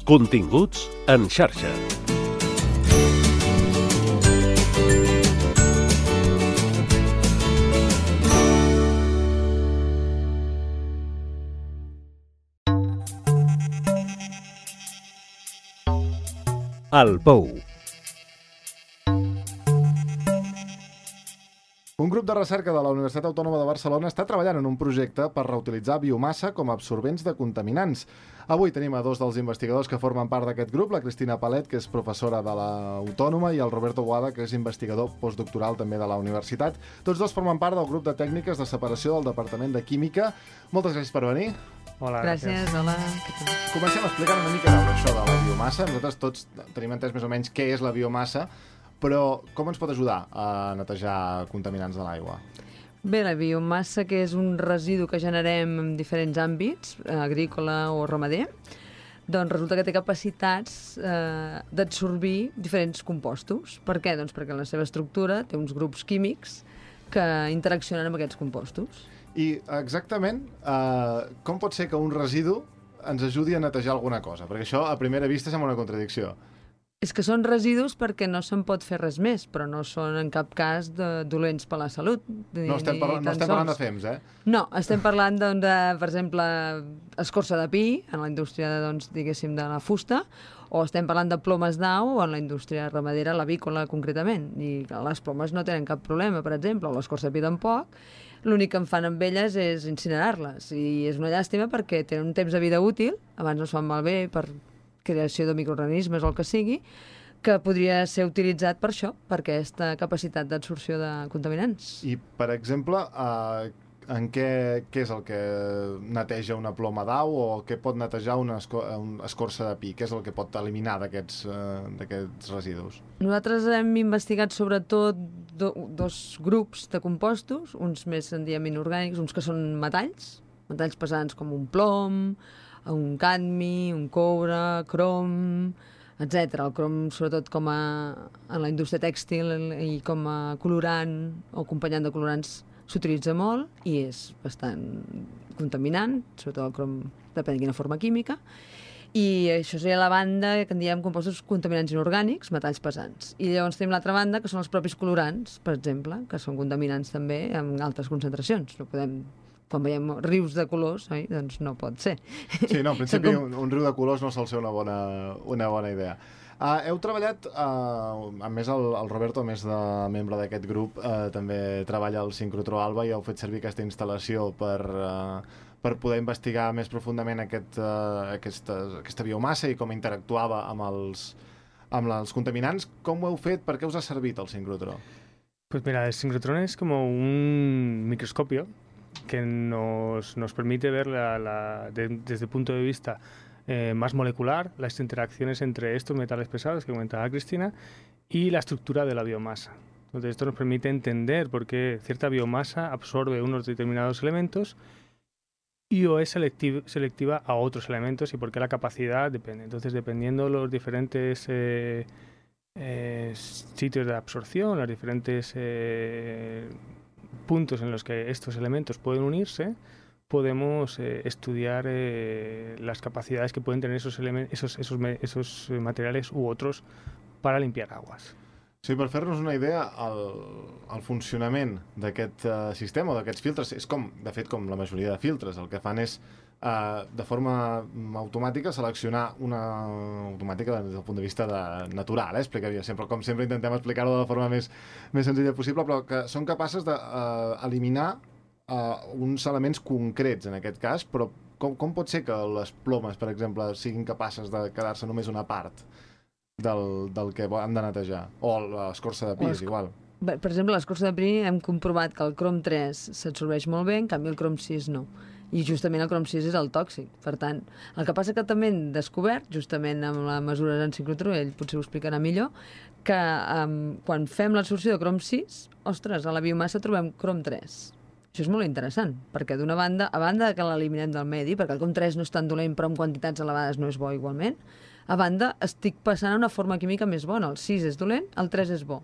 Continguts en xarxa. El Pou. Un grup de recerca de la Universitat Autònoma de Barcelona està treballant en un projecte per reutilitzar biomassa com a absorbents de contaminants. Avui tenim a dos dels investigadors que formen part d'aquest grup, la Cristina Palet, que és professora de l'Autònoma, i el Roberto Boada, que és investigador postdoctoral també de la universitat. Tots dos formen part del grup de tècniques de separació del Departament de Química. Moltes gràcies per venir. Hola, Gràcies, hola. Comencem explicant una mica això de la biomassa. Nosaltres tots tenim entès més o menys què és la biomassa, però com ens pot ajudar a netejar contaminants de l'aigua? Bé, la biomassa, que és un residu que generem en diferents àmbits, agrícola o ramader, doncs resulta que té capacitats d'absorbir diferents compostos. Per què? Doncs perquè la seva estructura té uns grups químics que interaccionen amb aquests compostos. I exactament com pot ser que un residu ens ajudi a netejar alguna cosa? Perquè això a primera vista sembla una contradicció. És que són residus perquè no se'n pot fer res més, però no són en cap cas dolents per la salut. No estem parlant de fems, eh? No, estem parlant, doncs, de, per exemple, escorça de pi, en la indústria, doncs, diguéssim, de la fusta, o estem parlant de plomes d'au en la indústria ramadera, l'avícola, concretament. I les plomes no tenen cap problema, per exemple, o l'escorça de pi tampoc. L'únic que en fan amb elles és incinerar-les. I és una llàstima perquè tenen un temps de vida útil, abans no es fan malbé per creació de microorganismes o el que sigui, que podria ser utilitzat per això, per aquesta capacitat d'absorció de contaminants. I, per exemple, en què és el que neteja una ploma d'au o què pot netejar una escorça de pi? Què és el que pot eliminar d'aquests residus? Nosaltres hem investigat sobretot dos grups de compostos, uns més en diem inorgànics, uns que són metalls pesants com un plom, un cadmi, un coure, crom, etc. El crom, sobretot en la indústria tèxtil i com a colorant o acompanyant de colorants, s'utilitza molt i és bastant contaminant, sobretot el crom depèn de quina forma química. I això seria la banda que en diem compostos contaminants inorgànics, metalls pesants. I llavors tenim l'altra banda, que són els propis colorants, per exemple, que són contaminants també amb altes concentracions. No podem... Quan veiem rius de colors, doncs no pot ser. Sí, no, en principi un riu de colors no sol ser una bona idea. Heu treballat, a més el Roberto, a més de membre d'aquest grup, també treballa al Sincrotró Alba i heu fet servir aquesta instal·lació per poder investigar més profundament aquesta biomassa i com interactuava amb els contaminants. Com ho heu fet? Per què us ha servit el Sincrotró? Pues mira, el sincrotrón es como un microscopio que nos permite ver desde el punto de vista más molecular las interacciones entre estos metales pesados que comentaba Cristina y la estructura de la biomasa. Entonces esto nos permite entender por qué cierta biomasa absorbe unos determinados elementos y o es selectiva a otros elementos y por qué la capacidad depende. Entonces, dependiendo de los diferentes sitios de absorción, los diferentes puntos en los que estos elementos pueden unirse, podemos estudiar las capacidades que pueden tener esos materiales u otros para limpiar aguas. Sí, per fer-nos una idea, el funcionament d'aquest sistema o d'aquests filtres és de fet com la majoria de filtres. El que fan és de forma automàtica seleccionar automàtica des del punt de vista natural, explicaria sempre, com sempre intentem explicar-ho de la forma més senzilla possible, però que són capaces d'eliminar uns elements concrets en aquest cas, però com pot ser que les plomes, per exemple, siguin capaces de quedar-se només una part del que han de netejar? O l'escorça de pi, és igual. Per exemple, l'escorça de pi hem comprovat que el crom 3 s'absorbeix molt bé, en canvi el crom 6 no. I justament el crom 6 és el tòxic. Per tant, el que passa que també hem descobert, justament amb la mesura en sincrotró, ell potser ho explicarà millor, que quan fem l'absorció de crom 6, ostres, a la biomassa trobem crom 3. Això és molt interessant, perquè d'una banda, a banda que l'eliminem del medi, perquè el crom 3 no és tan dolent, però en quantitats elevades no és bo igualment, a banda estic passant a una forma química més bona. El 6 és dolent, el 3 és bo.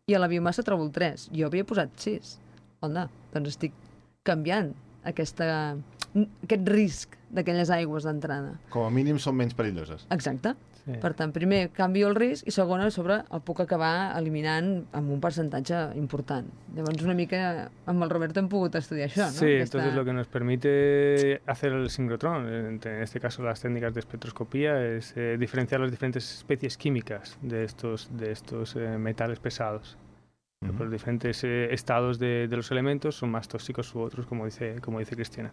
I a la biomassa trobo el 3. Jo havia posat 6. Onda, doncs estic canviant aquesta aquest risc d'aquelles aigües d'entrada. Com a mínim són menys perilloses. Exacte. Sí. Per tant, primer canvio el risc i segona, a sobre el puc acabar eliminant amb un percentatge important. Llavors una mica amb el Roberto hem pogut estudiar això, ¿no? Sí, entonces lo que nos permite hacer el sincrotrón, en este caso las técnicas de espectroscopía, es diferenciar las diferentes especies químicas de estos metales pesados. Los diferentes estados de los elementos son más tóxicos u otros, como dice Cristina.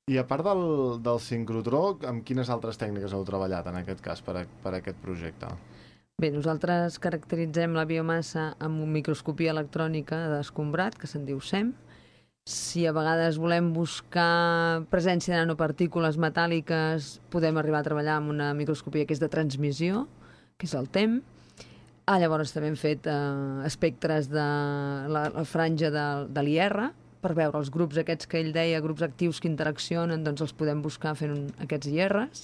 I a part del sincrotró, amb quines altres tècniques heu treballat en aquest cas per aquest projecte? Bé, nosaltres caracteritzem la biomassa amb una microscopia electrònica d'escombrat, que se'n diu SEM. Si a vegades volem buscar presència de nanopartícules metàl·liques, podem arribar a treballar amb una microscopia que és de transmissió, que és el TEM. Llavors també hem fet espectres de la franja de l'IR, per veure els grups aquests que ell deia, grups actius que interaccionen, doncs els podem buscar fent aquests IRs.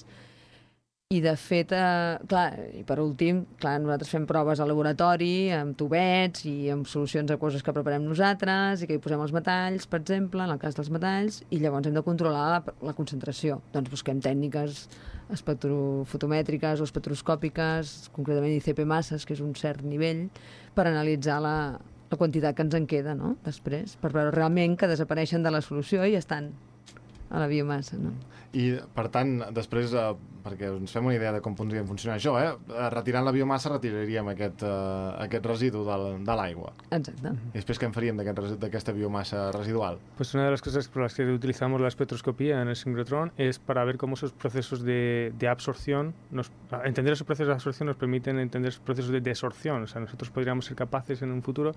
I de fet, i per últim, nosaltres fem proves al laboratori, amb tubets i amb solucions aquoses que preparem nosaltres i que hi posem els metalls, per exemple, en el cas dels metalls, i llavors hem de controlar la concentració. Doncs busquem tècniques espectrofotomètriques o espectroscòpiques, concretament ICP masses, que és un cert nivell, per analitzar la quantitat que ens en queda, no?, després, per veure realment que desapareixen de la solució i estan a la biomassa, no? I, per tant, després, perquè ens fem una idea de com podria funcionar això, retirant la biomassa retiraríem aquest residu de l'aigua. Exacte. I després què en faríem d'aquesta biomassa residual? Pues una de las cosas por las que utilizamos la espectroscopía en el sincrotrón es para ver cómo esos procesos de absorción, entender esos procesos de absorción nos permiten entender esos procesos de desorción. O sea, nosotros podríamos ser capaces en un futuro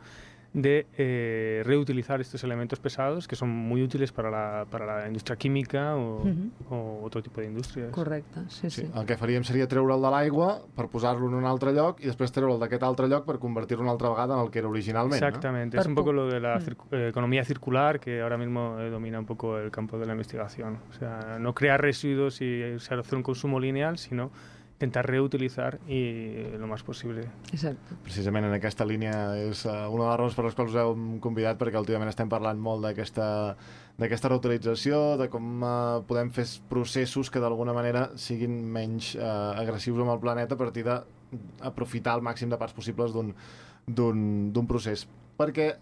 de reutilizar estos elementos pesados que son muy útiles para la industria química o otro tipo de indústries. Correcte, sí. El que faríem seria treure'l de l'aigua per posar-lo en un altre lloc i després treure'l d'aquest altre lloc per convertir-lo una altra vegada en el que era originalment. Exactamente, ¿no? Es un poco lo de la economía circular que ahora mismo domina un poco el campo de la investigación. O sea, no crear residuos y hacer un consumo lineal, sino intentar reutilizar i lo més possible. Exacte. Precisament en aquesta línia és una de les raons per les quals us hem convidat, perquè últimament estem parlant molt d'aquesta reutilització, de com podem fer processos que d'alguna manera siguin menys agressius amb el planeta a partir d'aprofitar el màxim de parts possibles d'un procés. Perquè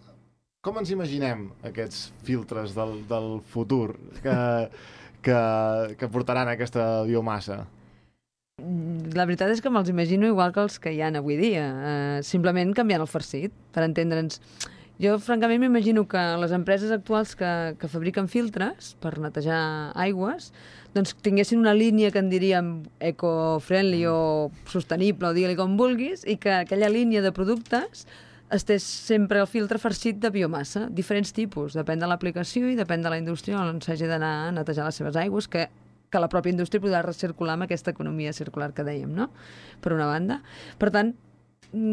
com ens imaginem aquests filtres del futur que portaran aquesta biomassa? La veritat és que me'ls imagino igual que els que hi ha avui dia, simplement canviant el farcit, per entendre'ns. Jo, francament, m'imagino que les empreses actuals que fabriquen filtres per netejar aigües doncs tinguessin una línia que en diríem eco-friendly o sostenible, o digue-li com vulguis, i que aquella línia de productes estés sempre el filtre farcit de biomassa, diferents tipus, depèn de l'aplicació i depèn de la indústria on s'hagi d'anar a netejar les seves aigües, que la pròpia indústria podrà recircular amb aquesta economia circular que dèiem, no?, per una banda. Per tant,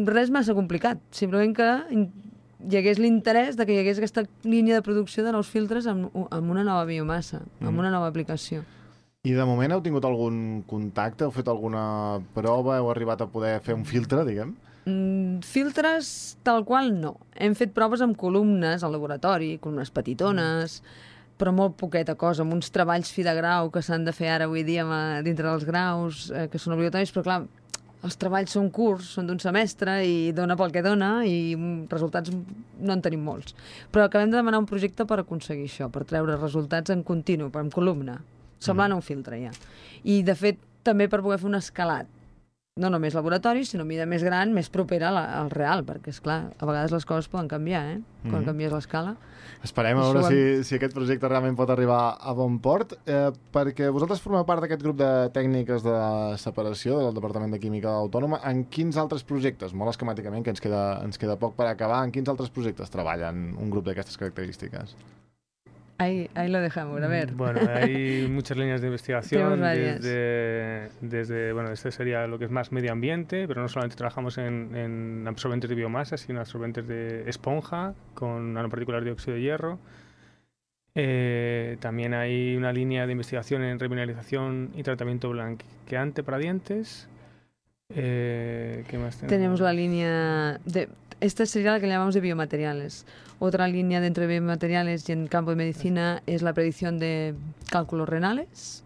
res massa complicat, simplement que hi hagués l'interès de que hi hagués aquesta línia de producció de nous filtres amb una nova biomassa, amb una nova aplicació. I de moment heu tingut algun contacte? Heu fet alguna prova? Heu arribat a poder fer un filtre, diguem? Filtres tal qual no. Hem fet proves amb columnes al laboratori, columnes petitones, però molt poqueta cosa, amb uns treballs fi de grau que s'han de fer ara avui dia dintre dels graus, que són obligatoris, però clar, els treballs són curts, són d'un semestre i dona pel que dona i resultats no en tenim molts. Però acabem de demanar un projecte per aconseguir això, per treure resultats en continu, en columna, semblant a un filtre ja. I de fet també per poder fer un escalat, no només laboratori, sinó mida més gran, més propera al real, perquè, esclar, a vegades les coses poden canviar, quan canvies l'escala. Esperem a veure si aquest projecte realment pot arribar a bon port, perquè vosaltres formeu part d'aquest grup de tècniques de separació del Departament de Química Autònoma. En quins altres projectes, molt esquemàticament, que ens queda poc per acabar, en quins altres projectes treballen un grup d'aquestes característiques? Ahí lo dejamos, a ver. Bueno, hay muchas líneas de investigación, bueno, este sería lo que es más medio ambiente, pero no solamente trabajamos en absorbentes de biomasa, sino absorbentes de esponja con nanopartículas de óxido de hierro. También hay una línea de investigación en remineralización y tratamiento blanqueante para dientes. ¿Qué más tenemos? Tenemos la línea esta sería la que llamamos de biomateriales. Otra línea dentro de biomateriales y en campo de medicina es la predicción de cálculos renales,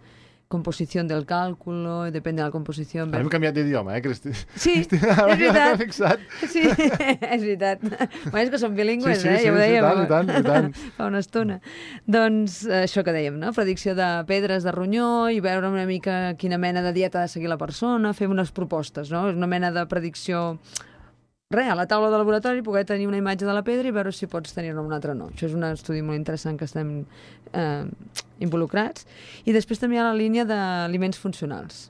composición del cálculo, depèn de la composició. Hem canviat d'idioma, Cristina? Sí, Cristina, és veritat. Fixat. Sí, és veritat. Bueno, és que som bilingües, sí, ja ho dèiem. I tant. Fa una estona. Doncs això que dèiem, no? Predicció de pedres de ronyó i veure una mica quina mena de dieta ha de seguir la persona, fer unes propostes, no? És una mena de predicció... Res, a la taula de laboratori poder tenir una imatge de la pedra i veure si pots tenir-ne una altra o no. Això és un estudi molt interessant que estem involucrats. I després també hi ha la línia d'aliments funcionals.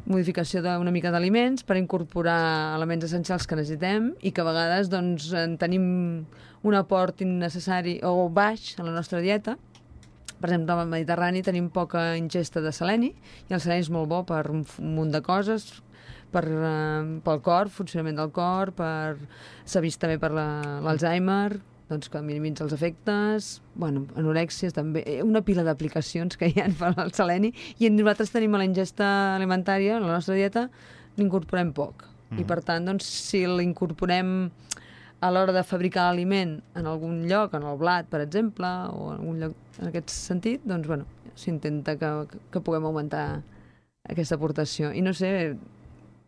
Modificació d'una mica d'aliments per incorporar elements essencials que necessitem i que a vegades doncs, en tenim un aport innecessari o baix a la nostra dieta. Per exemple, al Mediterrani tenim poca ingesta de seleni i el seleni és molt bo per un munt de coses, pel cor, funcionament del cor, s'ha vist també per l'Alzheimer, doncs que minimitza els efectes, bueno, anorèxies també, una pila d'aplicacions que hi ha per al seleni, i nosaltres tenim a la ingesta alimentària, a la nostra dieta, l'incorporem poc. I per tant, doncs, si l'incorporem a l'hora de fabricar l'aliment en algun lloc, en el blat, per exemple, o en algun lloc en aquest sentit, doncs, bueno, s'intenta que puguem augmentar aquesta aportació. I no sé,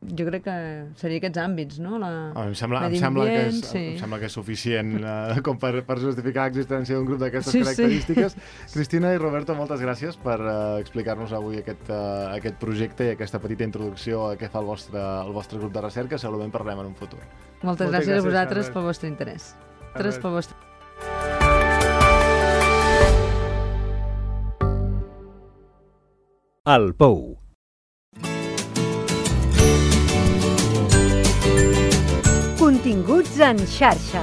jo crec que seria aquests àmbits, no? Em sembla que és suficient com per justificar l'existència d'un grup d'aquestes característiques. Cristina i Roberto, moltes gràcies per explicar-nos avui aquest projecte i aquesta petita introducció a què fa el vostre grup de recerca. Segurament parlem en un futur. Moltes gràcies a vosaltres pel vostre interès. El Pou. Continguts en xarxa.